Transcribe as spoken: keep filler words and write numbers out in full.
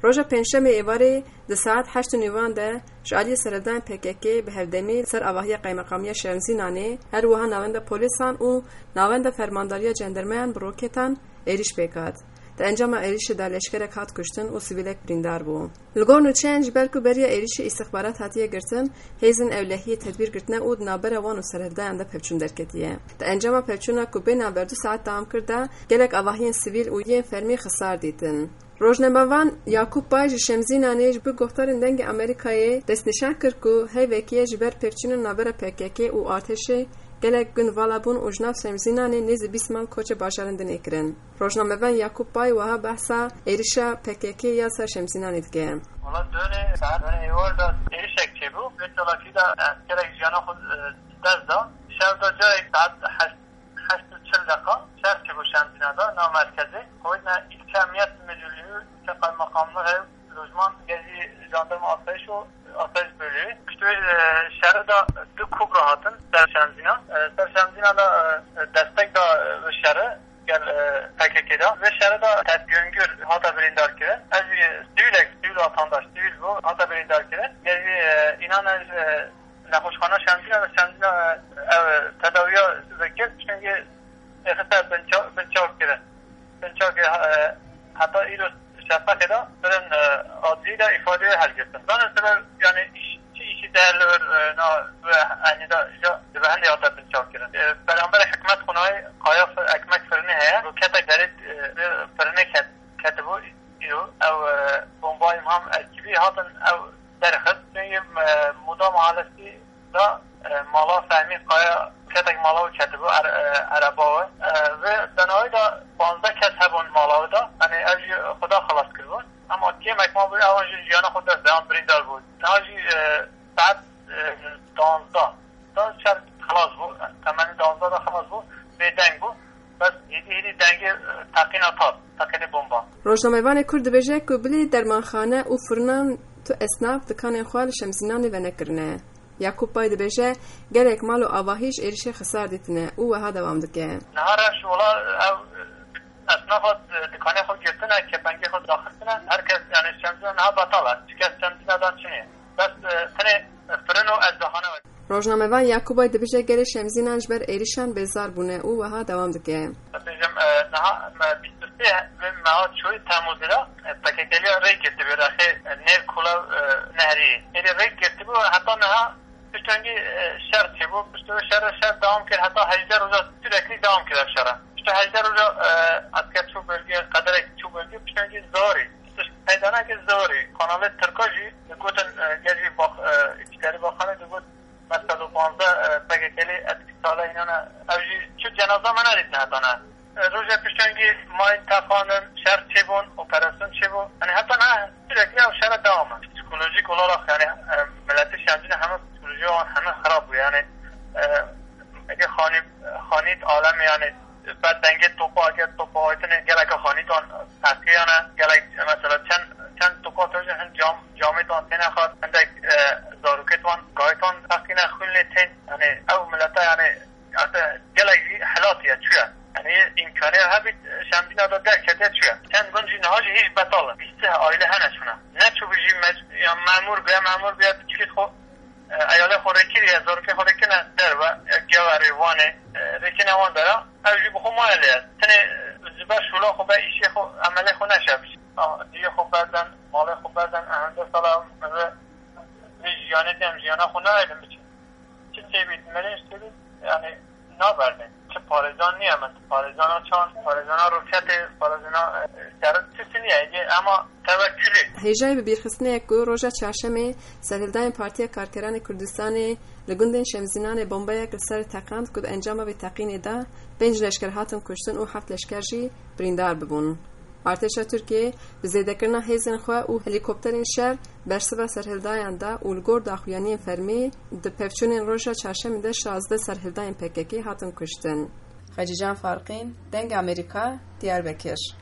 Roja Pêncşemê êvarê di saet heşt û nîvan de ji aliyê serhildanên P K K bi hevdemî li ser avahiya Qaymeqamiya Şemzînanê, her wiha navenda polîsan û navenda Fermandariya Cendermeyan bi roketan êrîş pêk hat. Di encama êrîşê de leşkerek hat kuştin û sivîlek birîndar bû. Li gor nûçeyên ji ber ku beriya êrîşê îstixbarat hatiye girtin, hêzên ewlehiyê tedbîr girtine û di navbera wan û serhildayan de pevçûn derketiye. Di encama pevçûna ku bê navber du saet dewam kir de, gelek avahiyên sivîl û yên fermî xisar dîtin. Rojnamevan Yakup Pay ji Şemzînanê ji bo guhdarên Dengê Amerîkayê destnîşan kir ku heyvekî ye ji ber pevçûnên navbera P K K û artêşê gelek gund vala bûn û ji nav Şemzînanê nêzî bîst mal koçê bajarên din ê kirin. Rojnamevan Yakup Pay wiha behsa êrişa P K K ya ser Şemzînanê dike. Wala dönê, saet dönê êwar de êrişek çêbû. Vê çalakî de eskerek jiyana xwe, e, dest da. Şev de carek saet heşt, heşt û çil deqa şer çêbû Şemzîna de, nav merkezê. Xwedine ilçe emniyet müdürlüğü, ilçe kaymakamlığı, lojman, gel jî jandarma asayiş û asayiş bölüğü. Piştî wê, e, şerê de du kobra hatin ser Şemzîna. E, ser Şemzîna de, e, destek da, e, bi şerê gel, e, P K K de. Vê şerê de Tevgöngür hate birîndar kirin. Ez jî sivîlek, sivîl vatandaş, sivîl bû, hate birîndar kirin. Gel jî, e, înan ez, e, nexweşxana Şemzîna de Şemzîna, e, ev, e, tedawiya vekir, çunkî êxiste binça-, binçavkirin. Binçavkir, e, heta îro şefaqê de birin, e, adlî de îfadeyê helgirtin. Zanin sebeb, yani, iş, çi işî de li vir, e, na, ve, yani, da, ja, di behindê hate binçavkirin. E, beramberê hikmet xwe nayê, qaya fir-, ekmek firinê heye. Roketek derê, e, firinê ket-, ketibû. Îro ew, e, bombayê Meham Elkîbî hatin ew derxist. Çunkî, e, Moda Mahallesî de, e, mala Fehmî Kaya, ketek mala wî ketibû, er-, e, ereba wî. E, vê denawî de panzdeh kes hebûn mala wî de. Yanî ev jî Xuda xelas kiribûn. Ema kêmek mabû, ewan jî jiyana xwe dest da, yan birîndar bû. Niha jî, e, saet, e, duwazdeh. Da şer xelas bû. Temenî duwazdeh de xelas bû. Bêdeng bû. Bes hêdî hêdî dengê, e, teqîna tat, teqînê bomba. Rojnamevanê Kurd dibêje ku bilî dermanxane û firinan tu esnaf dikanên xwe li Şemzînanê venekirine. Yakup Pay dibêje, gelek mal û avahî ji êrişê xisar dîtine û wiha dewam dike. Niha reş wela ev, e, esnafa, e, dikanê xwe girtine, kepengê xwe daxistine. Her kes, yani, Şemzîna niha betal e. Çi kes Şemzîna dan çinê. Bes, e, tenê, e, firin û eczahane wek. Rojnamevan Yakubay dibêje gelê Şemzînan ji ber êrişan bêzar bûne û wiha dewam dike. Bêjim, e, niha me bîst û sê meha çûyî Temmuzê de, e, P K K'liya rê girtibû rexê, e, nêv Kula, e, Nehrî. Êdî rê girtibû heta niha piştengî, e, şer çêbû. Piştî wê şer, şer dewam kir heta hejdeh roja sürekli dewam kir ev şer. Piştî hejdeh roja, e, esker çû bölgê, qederek çû bölgê, piştengî zarî. Tişt peydana ki zarî. Kanalê Tirka jî digotin, e, gel jî bax-, e, îçkerî baxanê digot, Mesela panzdeh, e, P K K'lî etkî sale înana ev jî çi cenaza me nedîtine heta niha. E, rojê piştengî mayîn teqandin, şer çêbûn, operasyon çêbû. Yani heta niha sürekli ev şere devam e. Psikolojik olarak yani, e, milletê Şemzînê heme psikolojiya wan heme xirab bû. Yani, e, eke xanî, xanît alem yani ber dengê topa, eke topa aytine geleke xanît wan teqiyane, gelek mesela çend, çend topa tevjin hin cam Camêtan têne xwar, hindek, e, zarokêt wan, gayêtan teqîne xwîn lê tên. Yani ew milete yani, erte gelek jî helatiye çûye. Yani îmkanê hebît, e, Şemdîna de derketiye çûye. Çend gund jî niha jî hîç betal in. Bîst aile hene çûne. Neçûbû jî mec-, ya memûr bûye, memûr bûye, çûyî xwe, e, eyalê xwe rêkiriye, zarokê xwe rêkine derve, e, Geverê, Wanê, e, rêkine wan dera. Ew jî bi xwe maye lê. Tenê, e, ji ber şûla xwe be îşê xwe, emelê xwe neşe. Diyê xwe berden, malê xwe berden, ehende sala min ve vê jiyanê de em jiyana xwe nayêlin biçin. Çi têbît, mirîn ji têbît, yani naberdin. Çi parêzan niye min, parêzana çand, parêzana roketê, parêzana, e, şerit, çi niye, ema tevekkülê. Hêjayî bibîrxistinê ye ku roja çarşemê serhildayên Partiya Karkeranê Kurdistanê li gundên Şemzînanê bombeyek li ser teqand ku di encama vê teqînê de pênc leşker hatin kuştin û heft leşker jî birîndar bibûn. Artêşa Tirkiyê bi zêdekirina hêzên xwe û helîkopterên şer bersiva serhildayan da û li gor daxuyaniyên fermî di pevçûnên roja çarşemê de şazdeh serhildayên P K K hatin kuştin. Xecîcan Farqîn, Dengê Amerîka, Diyarbekir.